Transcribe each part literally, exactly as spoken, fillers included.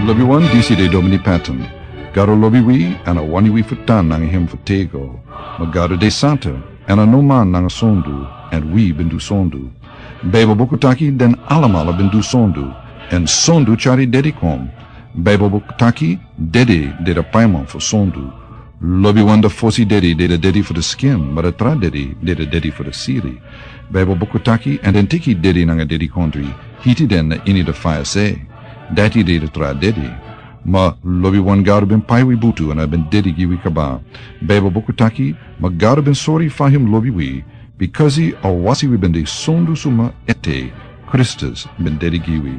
Lobi wan, disi de Domini Patton. Gado lobi wi, èn a wani wi fu tan nanga hem fu tego. Ma Gado de santa, èn a no man nanga sondu, èn wi ben du sondu. Baibel buku taki den alamala ben du sondu, èn sondu tyari dedi kon. Baibel buku taki dedi de a paiman fu sondu. Lobi wan, a fosi dedi de a dedi fu a skin, ma a tra dedi de a dedi fu a siri. Baibel buku taki, èn den teki dedi nanga dedikondri, hiti den na ini a faya se. Dati de a tra dedi. Ma lobi wan, Gado ben pai wi butu èn a ben dedi gi wi kaba. Baibel buku taki, ma Gado ben sori fa hem lobi wi, bikasi a wasi wi ben de sondu suma ete, Kristus ben dedi gi wi.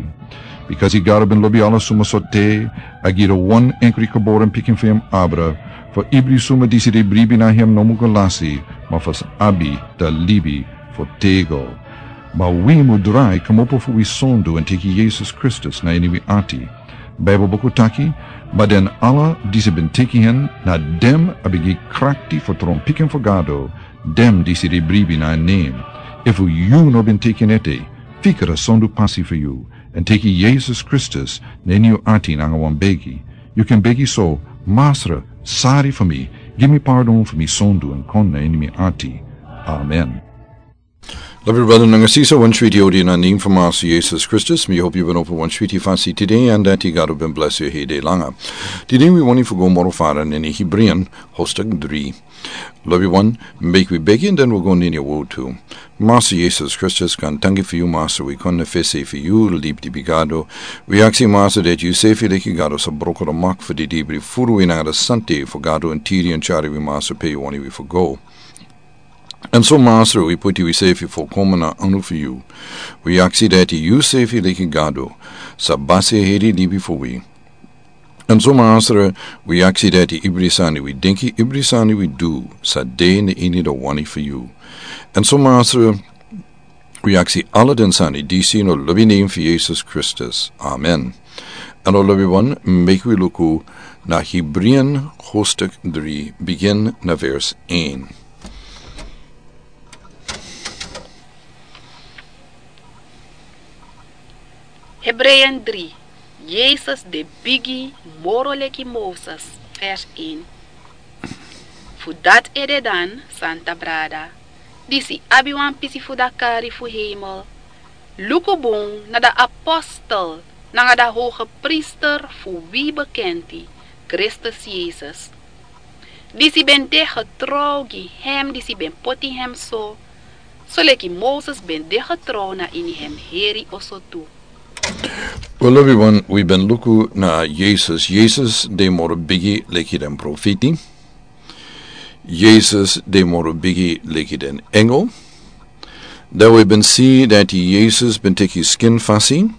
Bikasi Gado ben lobi ala suma sortu, a gi a wan enkri geboren pikin fu hem abra, fu ibri suma disi de bribi na hem no mu go lasi, ma fu sa abi a libi fu tego. Ma wi mu drai kmopo fu wi sondu èn teki Yesus Kristus na ini wi ati. Baibel buku taki, ma den ala disi ben teki hen, na den a ben gi krakti fu tron pikin fu Gado, den disi de bribi na en nen. Efu yu no ben teki en ete, fika a sondu pasi fu yu, èn teki Yesus Kristus na ini yu ati nanga wan begi. Yu kan begi so: Masra, sari fu mi, gi mi pardon fu mi sondu èn kon na ini mi ati. Amen. Lobi brada nanga sisa, wan switi odi na nen fu Masra Yesus Kristus. Mi hopi yu ben opo wan switi fasi tide, èn dati Gado ben blesi yu heri langa. Tide wi wani fu go moro fara na ini Hebreean, hoofdstuk dri. Lobi wan, meki wi begi èn den wi go na ini a wortu. Masra Yesus Kristus, wi danki fu yu, Masra, wi kon na fesi fu yu, libi di bigi Gado. Wi aksi, Masra, dati yu sefi leki Gado sa broko a mak fu di dibri furu wi nanga a sante fu Gado èn tiri èn tyari wi, Masra, pe yu wani wi fu go. Èn so, Masra, wi puti wi sefi folkomen na anu fu yu. Wi aksi dati yu sefi leki Gado sa basi a heri libi fu wi. Èn so, Masra, wi aksi dati ibri sani wi denki, ibri sani wi du, sa de na ini a wani fu yu. Èn so, Masra, wi aksi ala den sani disi na a lobi nen fu Yesus Kristus. Amen. Èn lobi wan, meki wi luku na Hebreean, hoofdstuk dri, bigin na vers een. Hebreeën drie, Yesus de bigi moro leki Moses, vers een. Fu dati ede dan, santa brada, disi abi wan pisi fu a kari fu hemel, luku bun na a apostel nanga a hogepriester fu wi bekenti, Kristus Yesus. Disi ben de getrouw gi hem disi ben poti hem so, soleki Moses ben de getrouw na ini hem heri oso tu. Wel, lobi wan, wi ben luku na Yesus. Yesus de moro bigi leki den profeti. Yesus de moro bigi leki den engel. Dan wi ben si dati Yesus ben teki skin fasi,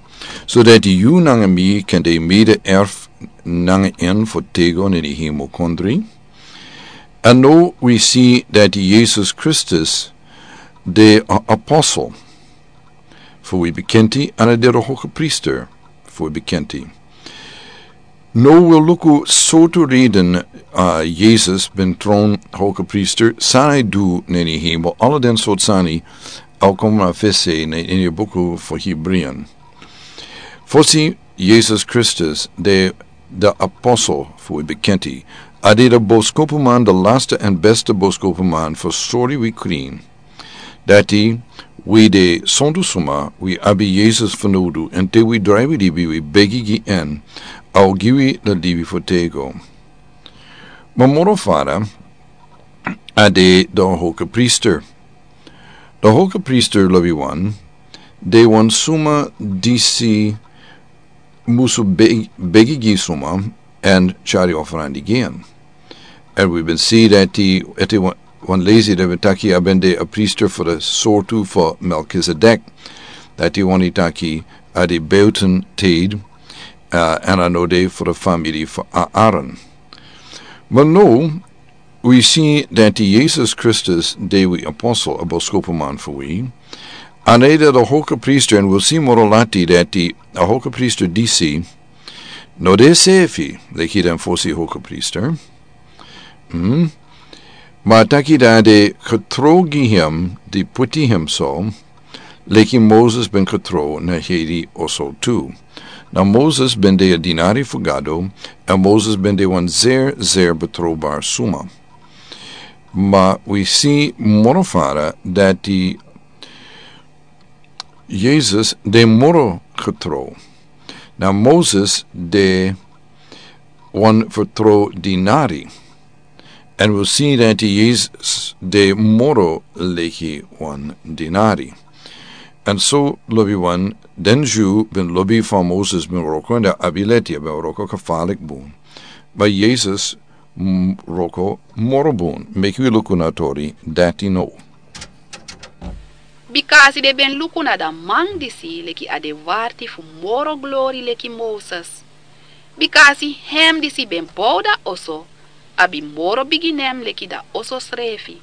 so dati yu nanga mi kan de mede erf nanga en fu tego na ini hemelkondre. Èn now wi si dati Yesus Kristus de a apostel fu wi bekenti, èn a de a hogepriester fu wi bekenti. Now wi luku sortu reden, a, Yesus ben tron hogepriester, san a du na ini hemel, ala den sortu sani a kon na fesi na ini a buku fu Hebreeën. Fosi, Yesus Kristus de a apostel fu wi bekenti. A de a boskopuman, a laste èn beste boskopuman fu sori wi krin dati wi de sondu suma, wi abi Yesus fanowdu, èn te wi drai wi libi, wi begi gi en, a o gi wi a libi fu tego. Ma moro fara, a de a hogepriester. A hogepriester, lobi wan, de wan suma disi musu be-, begi gi suma èn tyari offerandi gi en. Èn wi ben si dati, ete wan, wan lesi dati ben taki a ben de a priester fu a sortu fu Melchizedek. Dati wani taki a de buiten tijd, a, èn a no de fu a famiri fu A-, Aaron. Ma now, wi si dati Yesus Kristus de wi apostel, a boskopuman fu wi. Èn a de a hogepriester, èn wi si moro lati dati a hogepriester disi no de sefi leki den fosi hogepriester. Hmm. Ma taki dati a de getrouw gi hem di poti hem so, leki Moses ben getrouw na heri oso tu. Na Moses ben de a dinari fu Gado, en Moses ben de wan zeer, zeer betrouwbaar suma. Maar we zien moro fara dat die Jezus de moro getrouw. Na Moses de wan vertrouw dinari. En we zien dat die Jezus de moro leki wan dinari. En so lobi wan den Jew ben lobi van Moses ben roko en de abileti ben roko gevaarlijk boen. Maar Jezus m-, roko moro boen. Meki wi luku na tori dertien no. Bikasi den ben luku na dan man disi leki a de warti fu moro glori leki Moses. Bikasi hem disi ben bow dan oso abi moro bigi nen leki dan oso srefi.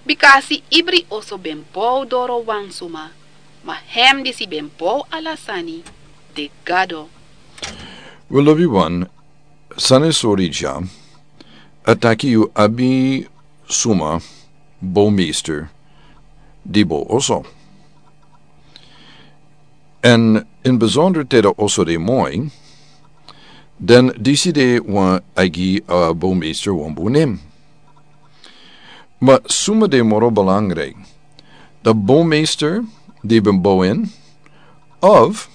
Bikasi ibri oso ben bow doro wan suma, ma hem disi ben bow ala sani de Gado. We lobi wan, sani sori dya, a taki yu abi suma, bowmeester, di bow oso. En in bijzonder te dan oso de moi, dan disi de wan a gi a bowmeester wan bun nen. Maar suma de moro belangrijk. De bowmeester di ben bow en, of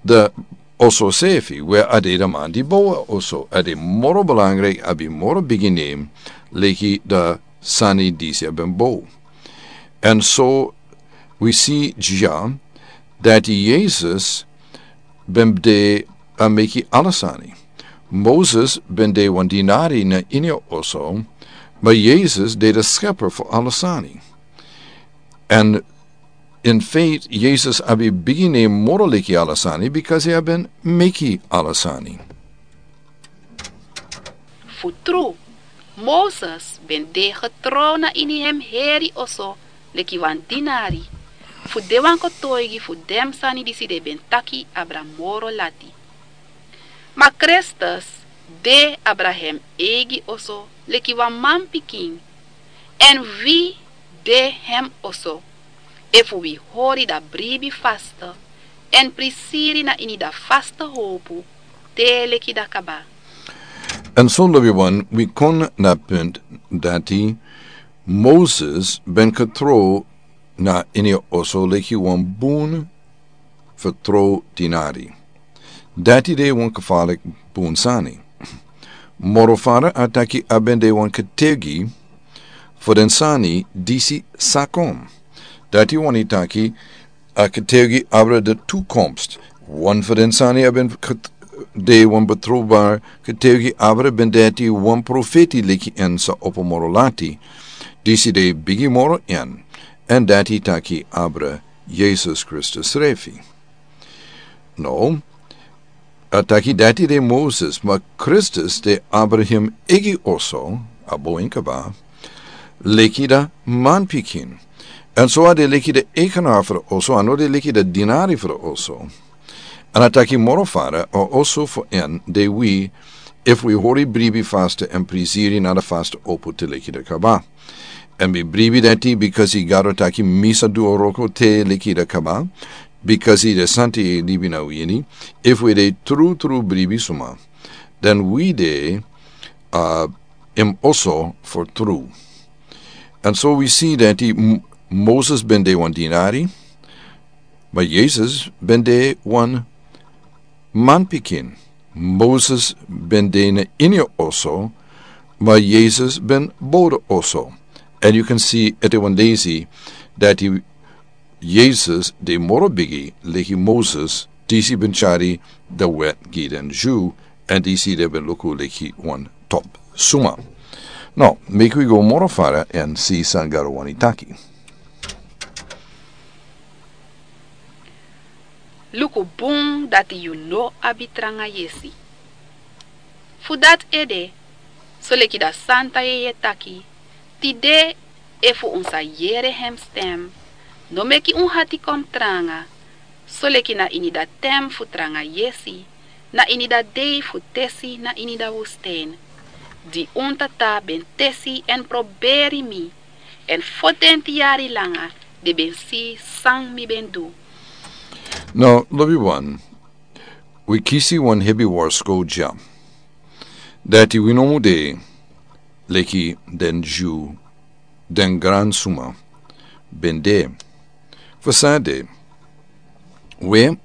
de oso sefi, we a de de man di bow oso, a de moro belangrijk, abi moro bigi nen, leki de sani disi a ben bow. En so we see dya dat Jezus ben de a meki ala sani. Moses ben de wan dinari na ini a oso, maar Jezus de de schepper fu ala sani. En in feite, Jezus abi bigi nen moro leki ala sani, bikasi a ben meki ala sani. Fu tru, Moses ben de getrouw na ini hem heri oso leki wan dinari, fu de wan kotoigi fu den sani disi den ben taki abra moro lati. Ma Kristus de abra hem eigi oso leki wan manpikin, en wi de hem oso, efu wi hori dan bribi faste, en prisiri na ini dan faste howpu, te leki dan kaba. En so lobi wan, wi kon na punt dati Moses ben getrouw na ini oso leki wan bun vertrouw dinari. Dati de wan gevaarlijk bun sani. Moro fara a taki a ben de wan getuigi fu den sani disi sa kon. Dati wani taki a getuigi abra de toekomst. Wan fu den sani a ben get-, de wan betrouwbaar getuigi abra ben dati wan profeti leki en sa opo moro lati. Disi de bigi moro en. En dati taki abra Jezus Kristus srefi. No, a taki dati de Moses, ma Kristus de abra hem eigi oso, a bow en kaba, leki dan manpikin. En so a de leki dan eigenaar fu oso, a no de leki dan dinari fu oso. En a taki moro fara, a oso fu en, de wi, efu wi hori bribi faste en prisiri na dan faste opo te leki dan kaba. En mi bribi dati, bikasi Gado taki mi sa du a wroko te leki dan kaba, bikasi dan santa e libi na wi ini, efu wi de tru tru bribi suma, dan wi de, a, en oso fu tru. En so wi si dati M-, Moses ben de wan dinari, ma Jezus ben de wan manpikin. Moses ben de na ini oso, ma Jezus ben bow dan oso. And you can see ete wan leisi dati Jezus de moro bigi leki Moses, disi ben tyari dan wet gi den Jew, en disi den ben luku leki wan top suma. No, meki wi go moro fara en si san Gado wani taki. Luku bun dati yu no abi tranga yesi. Fu dati ede, soleki dan santa yeye taki, tide efu un sa yere hem stem, no meki un hati kon tranga, soleki na ini dan ten fu tranga yesi, na ini dan dei fu tesi na ini dan wustijn. Di un tata ben tesi en proberi mi, en fotenti yari langa, den ben si san mi ben du. Now, lobi wan, wi kisi wan hebi warskow dya. Dati wi no mu de leki den Dyu, den gran suma ben de. Fu san de, we,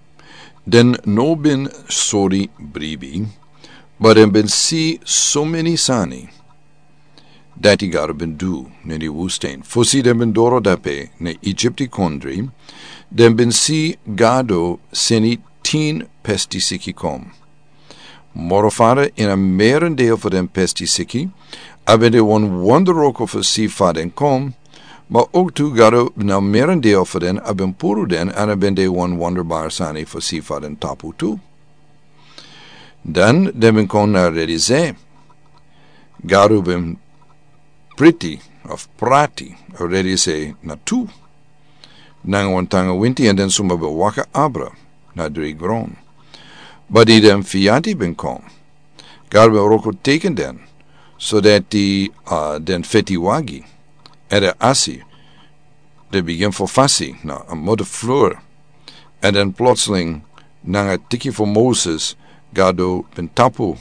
den no ben sori bribi, ma den ben si so meni sani dati Gado ben du na ini wustain. Fosi den ben doro dape na Egypti kondri, den ben si Gado seni tin pesti siki kon. Moro fara ini a merendeel fu den pesti siki, a ben de wan wonderwroko fu si fa den kon, ma ook tu Gado na merendeel fu den a ben puru den, èn a ben de wan wonderbar sani fu si fa den tapu tu. Dan den ben kon na Red Zee. Gado ben priti of prati a Red Zee na tu. Nanga wan tanga winti, èn den suma ben waka abra na dri gron. Ma di den fiyati ben kon, Gado ben wroko teken den, so dati, uh, den feti wagi, èn den asi, den bigin fu fasi na a modder floor. Èn den plotseling, nanga tiki fu Moses, Gado ben tapu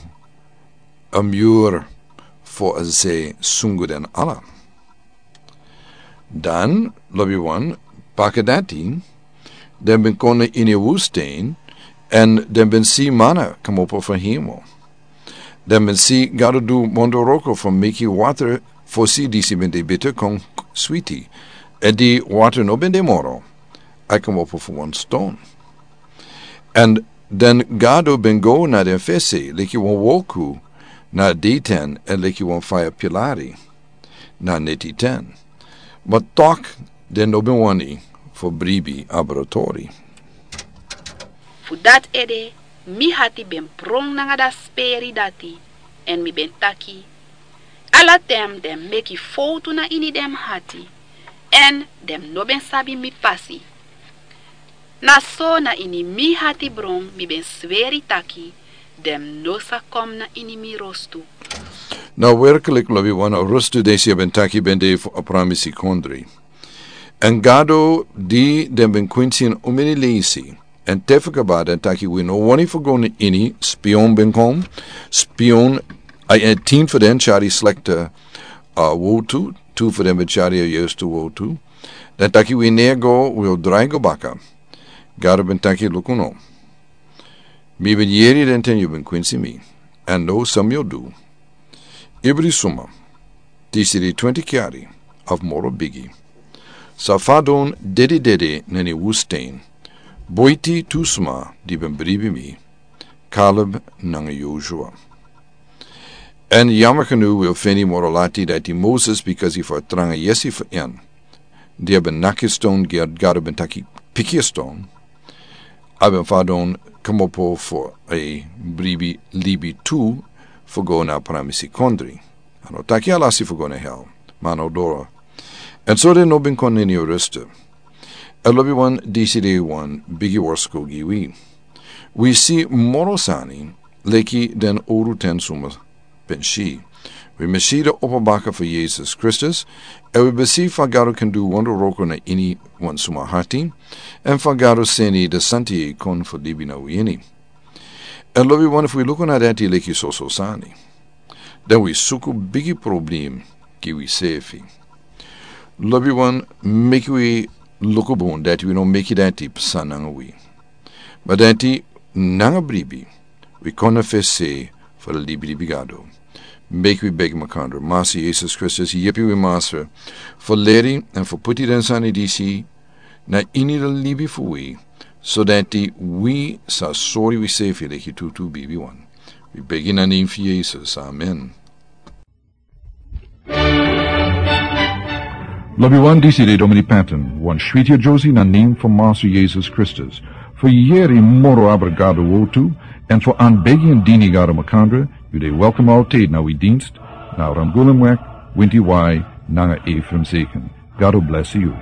a muur fu a zee sungu den ala. Dan, lobi wan, baka dati, den ben kon na ini wustain, èn den ben si mana komopo fu hemel. Den ben si Gado du wonderwroko fu meki water, fosi disi ben de bita, kon switi. Èn di water no ben de moro, a komopo fu wan ston. Èn den Gado ben go na den fesi leki wan wolku na deiten, èn leki wan faya pilari na netiten. Ma tok, den no ben wani fu bribi abra tori. Fu dati ede, mi hati ben pron nanga dati speri dati, èn mi ben taki: Ala ten den meki fowtu na ini den hati, èn den no ben sabi mi pasi. Na so na ini mi hati bron mi ben sweri taki den no sa kon na ini mi rostu. Na werklik, lobi wan, a rostu disi a ben taki ben de fu a pramisi kondri. Èn Gado, di den ben kwinsi en omeni leisi, èn te fu kaba den taki: Wi no wani fu go na ini. Spion ben kon. Spion, a, a tin fu den tyari slekte, a, wowtu, tu fu den ben tyari a yerste wowtu. Den taki: Wi no e go, wi o drai go baka. Gado ben taki: Luku no. Mi ben yere den ten yu ben kwinsi mi. Èn now san mi o du? Ibri suma, disi de twenti yari of moro bigi, sa fadon dededede na ini wustain, boiti tu sma di ben bribi mi, Kaleb nanga Yosua. Èn yammer genoeg wi o feni moro lati dati Moses, bikasi fu a tranga yesi fu en, di a ben naki ston, Gado ben taki: Piki a ston. A ben fadon komopo fu a bribi libi tu fu go na a pramisi kondri. A no taki a lasi fu go na hel, ma a no doro. Èn so den no ben kon na ini a rostu. Èn lobi wan, disi de wan bigi warskow gi wi. Wi si moro sani leki den owru ten suma ben si. Wi ben si den opo baka fu Yesus Kristus, èn wi ben si fa Gado kan du wonderwroko na ini wan suma hati, èn fa Gado seni den santa yeye kon fu libi na wi ini. Èn lobi wan, efu wi luku na dati leki soso sani, dan wi suku bigi problem gi wisefi. Lobi wan, meki wi luku bun dati wi no meki dati psa nanga wi. Ma dati nanga bribi, wi kon na fesi fu a libilibi Gado. Meki wi begi makandra: Masra Yesus Kristus, yepi wi, Masra, fu leri èn fu puti den sani disi na ini a libi fu wi, so dati wi sa sori wisefi leki tutu bibi wan. Wi begi na nen fu Yesus. Amen. Lobi wan, disi de Domini Patton, wan switi a Josi na nen fu Masra Yesus Kristus. Fu yere moro abra Gado wowtu, èn fu anbegi èn dini Gado makandra, yu de welkom altijd na wi dienst, na Ramgulemweg, Winti Wai, nanga Ephraim Zeken. Gado blesi yu.